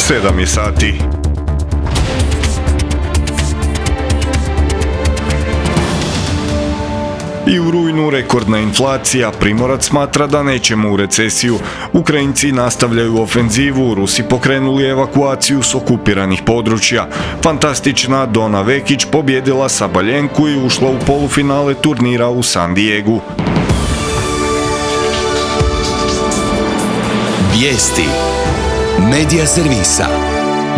7 je sati. I u rujnu rekordna inflacija, Primorac smatra da nećemo u recesiju. Ukrajinci nastavljaju ofenzivu, Rusi pokrenuli evakuaciju s okupiranih područja. Fantastična Dona Vekić pobjedila Sabaljenku i ušla u polufinale turnira u San Diegu. Vijesti Medija servisa.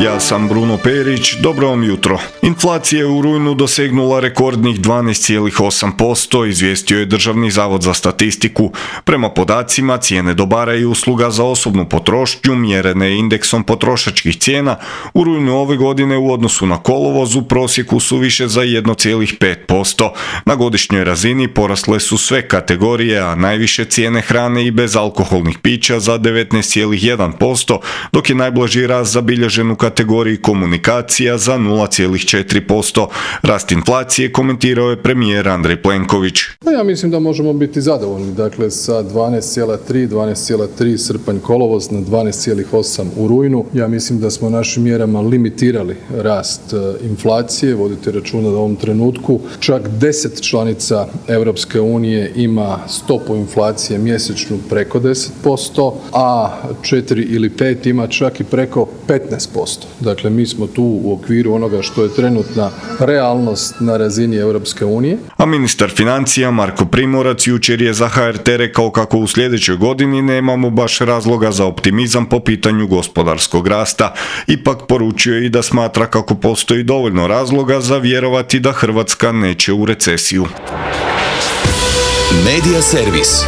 Ja sam Bruno Perić, dobro vam jutro. Inflacija je u rujnu dosegnula rekordnih 12,8%, izvijestio je Državni zavod za statistiku. Prema podacima, cijene dobara i usluga za osobnu potrošnju, mjerene indeksom potrošačkih cijena, u rujnu ove godine u odnosu na kolovoz u prosjeku su više za 1,5%. Na godišnjoj razini porasle su sve kategorije, a najviše cijene hrane i bezalkoholnih pića za 19,1%, dok je najblaži rast zabilježen u kategoriji komunikacija za 0,4%. Rast inflacije komentirao je premijer Andrej Plenković. Ja mislim da možemo biti zadovoljni. Dakle, sa 12,3 srpanj kolovoz na 12,8 u rujnu. Ja mislim da smo našim mjerama limitirali rast inflacije. Vodite računa da u ovom trenutku čak 10 članica Europske unije ima stopu inflacije mjesečnu preko 10%, a 4 ili 5 ima čak i preko 15%. Dakle, mi smo tu u okviru onoga što je trenutna realnost na razini Europske unije. A ministar financija Marko Primorac jučer je za HRT rekao kako u sljedećoj godini nemamo baš razloga za optimizam po pitanju gospodarskog rasta. Ipak poručio je i da smatra kako postoji dovoljno razloga za vjerovati da Hrvatska neće u recesiju. Medija servis.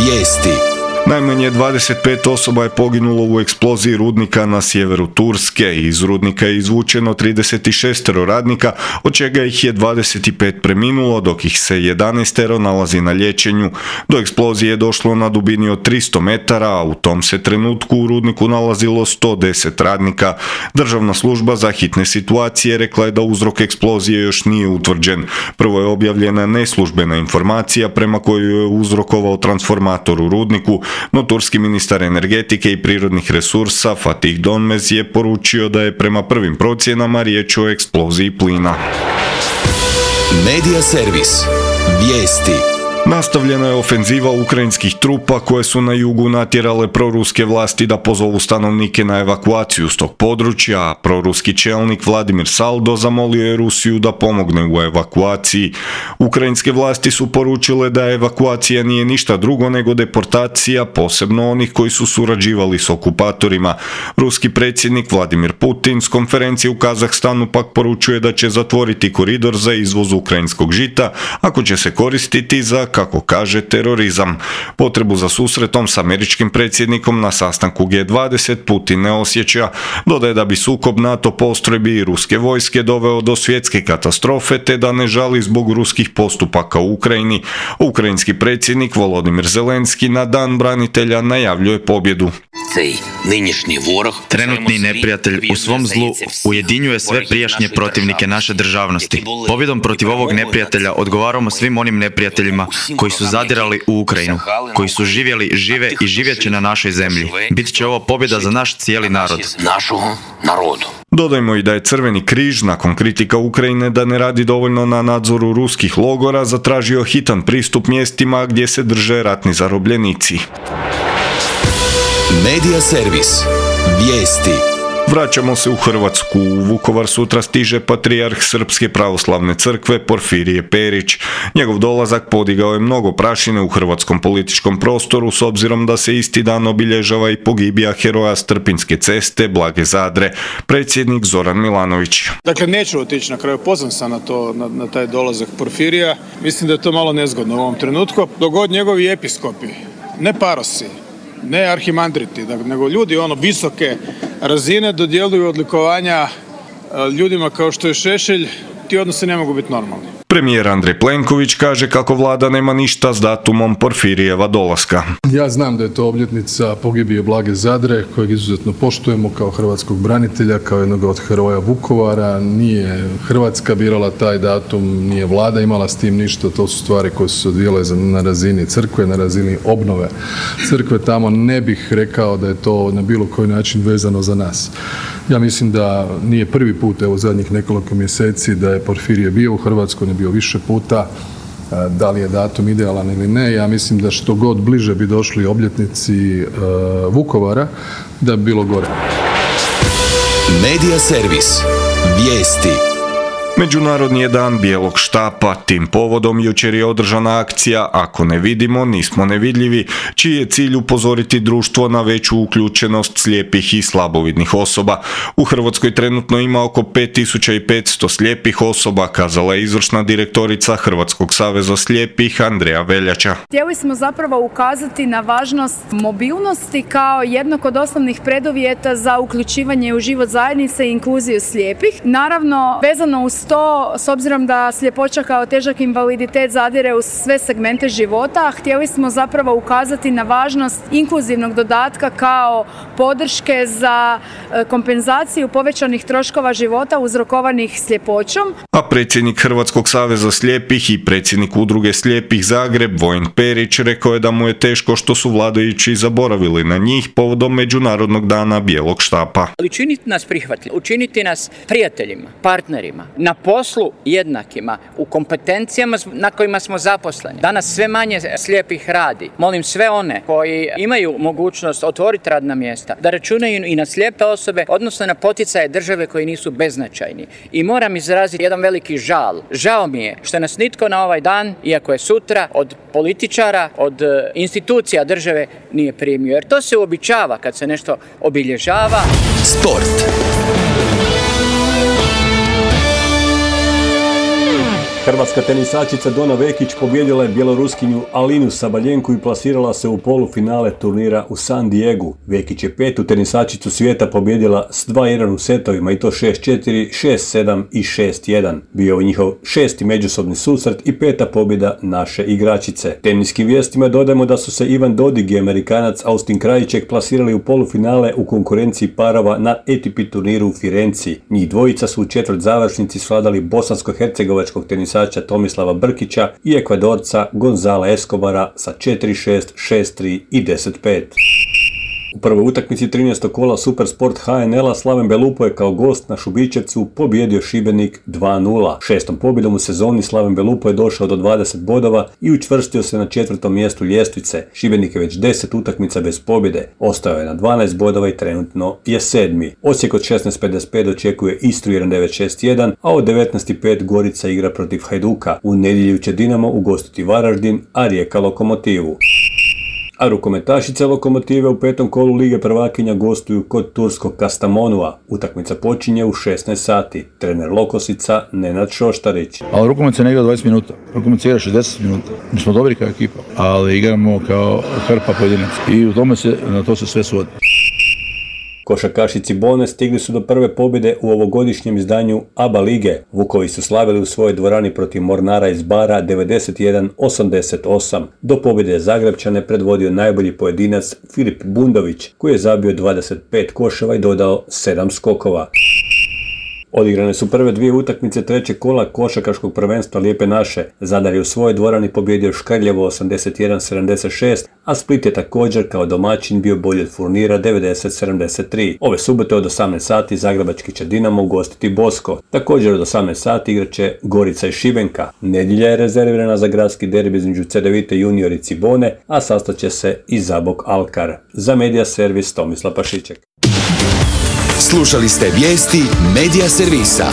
Vijesti. Najmanje 25 osoba je poginulo u eksploziji rudnika na sjeveru Turske. Iz rudnika je izvučeno 36 radnika, od čega ih je 25 preminulo, dok ih se 11 nalazi na liječenju. Do eksplozije je došlo na dubini od 300 metara, a u tom se trenutku u rudniku nalazilo 110 radnika. Državna služba za hitne situacije rekla je da uzrok eksplozije još nije utvrđen. Prvo je objavljena neslužbena informacija prema kojoj je uzrokovao transformator u rudniku, no turski ministar energetike i prirodnih resursa Fatih Donmez je poručio da je prema prvim procjenama riječ o eksploziji plina. Medija servis. Vijesti. Nastavljena je ofenziva ukrajinskih trupa koje su na jugu natjerale proruske vlasti da pozovu stanovnike na evakuaciju s tog područja, a proruski čelnik Vladimir Saldo zamolio je Rusiju da pomogne u evakuaciji. Ukrajinske vlasti su poručile da evakuacija nije ništa drugo nego deportacija, posebno onih koji su surađivali s okupatorima. Ruski predsjednik Vladimir Putin s konferencije u Kazahstanu pak poručuje da će zatvoriti koridor za izvoz ukrajinskog žita ako će se koristiti za, kako kaže, terorizam. Potrebu za susretom s američkim predsjednikom na sastanku G20 Putin ne osjeća. Dodaje da bi sukob NATO postrojbi i ruske vojske doveo do svjetske katastrofe te da ne žali zbog ruskih postupaka u Ukrajini. Ukrajinski predsjednik Volodimir Zelenski na Dan branitelja najavljuje pobjedu. Trenutni neprijatelj u svom zlu ujedinjuje sve prijašnje protivnike naše državnosti. Pobjedom protiv ovog neprijatelja odgovaramo svim onim neprijateljima koji su zadirali u Ukrajinu, koji su živjeli, žive i živjet će na našoj zemlji. Bit će ovo pobjeda za naš cijeli narod. Dodajmo i da je Crveni križ nakon kritika Ukrajine da ne radi dovoljno na nadzoru ruskih logora zatražio hitan pristup mjestima gdje se drže ratni zarobljenici. Medija servis. Vijesti. Vraćamo se u Hrvatsku. U Vukovar sutra stiže patrijarh Srpske pravoslavne crkve Porfirije Perić. Njegov dolazak podigao je mnogo prašine u hrvatskom političkom prostoru s obzirom da se isti dan obilježava i pogibija heroja Strpinjske ceste Blage Zadre, predsjednik Zoran Milanović. Dakle, neću otići na kraju, pozvan sam na taj dolazak Porfirija. Mislim da je to malo nezgodno u ovom trenutku. Dogod njegovi episkopi, ne parosi, ne arhimandriti, nego ljudi visoke razine dodjeljuju odlikovanja ljudima kao što je Šešelj, ti odnosi ne mogu biti normalni. Premijer Andrej Plenković kaže kako vlada nema ništa s datumom Porfirijeva dolaska. Ja znam da je to obljetnica pogibije Blage Zadre, kojeg izuzetno poštujemo kao hrvatskog branitelja, kao jednog od heroja Vukovara. Nije Hrvatska birala taj datum, nije vlada imala s tim ništa, to su stvari koje su se odvijale na razini crkve, na razini obnove crkve. Tamo ne bih rekao da je to na bilo koji način vezano za nas. Ja mislim da nije prvi put, evo zadnjih nekoliko mjeseci, da je Porfirije bio u Hrvatskoj, ne bio više puta. Da li je datum idealan ili ne, ja mislim da što god bliže bi došli obljetnici Vukovara, da bi bilo gore. Medija servis. Vijesti. Međunarodni je dan bijelog štapa, tim povodom jučer je održana akcija Ako ne vidimo, nismo nevidljivi, čiji je cilj upozoriti društvo na veću uključenost slijepih i slabovidnih osoba. U Hrvatskoj trenutno ima oko 5500 slijepih osoba, kazala je izvršna direktorica Hrvatskog saveza slijepih Andreja Veljača. Htjeli smo zapravo ukazati na važnost mobilnosti kao jednog od osnovnih preduvjeta za uključivanje u život zajednice i inkluziju slijepih. Naravno, vezano uz to, s obzirom da sljepoća kao težak invaliditet zadire u sve segmente života, htjeli smo zapravo ukazati na važnost inkluzivnog dodatka kao podrške za kompenzaciju povećanih troškova života uzrokovanih sljepoćom. A predsjednik Hrvatskog saveza slijepih i predsjednik udruge slijepih Zagreb, Vojin Perić, rekao je da mu je teško što su vladajući zaboravili na njih povodom Međunarodnog dana bijelog štapa. Učiniti nas prihvatljivima, učiniti nas prijateljima, partnerima, na poslu jednakima, u kompetencijama na kojima smo zaposleni. Danas sve manje slijepih radi. Molim sve one koji imaju mogućnost otvoriti radna mjesta da računaju i na slijepe osobe, odnosno na poticaje države koji nisu beznačajni. I moram izraziti jedan veliki žal. Žao mi je što nas nitko na ovaj dan, iako je sutra, od političara, od institucija države nije primio. Jer to se uobičava kad se nešto obilježava. Sport. Hrvatska tenisačica Dona Vekić pobijedila je bjeloruskinju Alinu Sabaljenku i plasirala se u polufinale turnira u San Diegu. Vekić je petu tenisačicu svijeta pobijedila s 2-1 u setovima i to 6-4, 6-7 i 6-1. Bio je njihov šesti međusobni susret i peta pobjeda naše igračice. Teniskim vijestima dodajemo da su se Ivan Dodig i Amerikanac Austin Krajicek plasirali u polufinale u konkurenciji parova na ATP turniru u Firenci. Njih dvojica su u četvrt završnici svladali bosansko-hercegovačkog tenisača Tomislava Brkića i Ekvadorca Gonzala Escobara sa 4-6, 6-3 i 10-5. U prvoj utakmici 13. kola Supersport HNL-a Slaven Belupo je kao gost na Šubićevcu pobjedio Šibenik 2-0. Šestom pobjedom u sezoni Slaven Belupo je došao do 20 bodova i učvrstio se na 4. mjestu ljestvice. Šibenik je već 10 utakmica bez pobjede. Ostao je na 12 bodova i trenutno je 7. Osijek od 16:55 očekuje Istru 1-9-6-1, a od 19:05 Gorica igra protiv Hajduka. U nedjelju će Dinamo ugostiti Varaždin, a Rijeka Lokomotivu. A rukometašice Lokomotive u petom kolu Lige prvakinja gostuju kod turskog Kastamonua. Utakmica počinje u 16 sati. Trener Lokosica Nenad Šoštarić. Ali rukomet se ne igra 20 minuta. Rukomet se igra 60 minuta. Mi smo dobri kao ekipa, ali igramo kao hrpa pojedinaca. I na to se sve svodi. Košarkaši Cibone stigli su do prve pobjede u ovogodišnjem izdanju ABA lige. Vukovi su slavili u svojoj dvorani protiv Mornara iz Bara 91-88. Do pobjede Zagrebčane predvodio najbolji pojedinac Filip Bundović, koji je zabio 25 koševa i dodao 7 skokova. Odigrane su prve dvije utakmice trećeg kola košarkaškog prvenstva Lijepe naše. Zadar je u svojoj dvorani pobjedio Škrljevo 81-76, a Split je također kao domaćin bio bolji od Furnira 90-73. Ove subote od 18 sati zagrebački će Dinamo ugostiti Bosko. Također od 18 sati igraće Gorica i Šibenka. Nedjelja je rezervirana za gradski derbi između Cedevite Junior i Cibone, a sastaće se i Zabok Alkar. Za Medija servis Tomislav Pašiček. Slušali ste vijesti Medija servisa.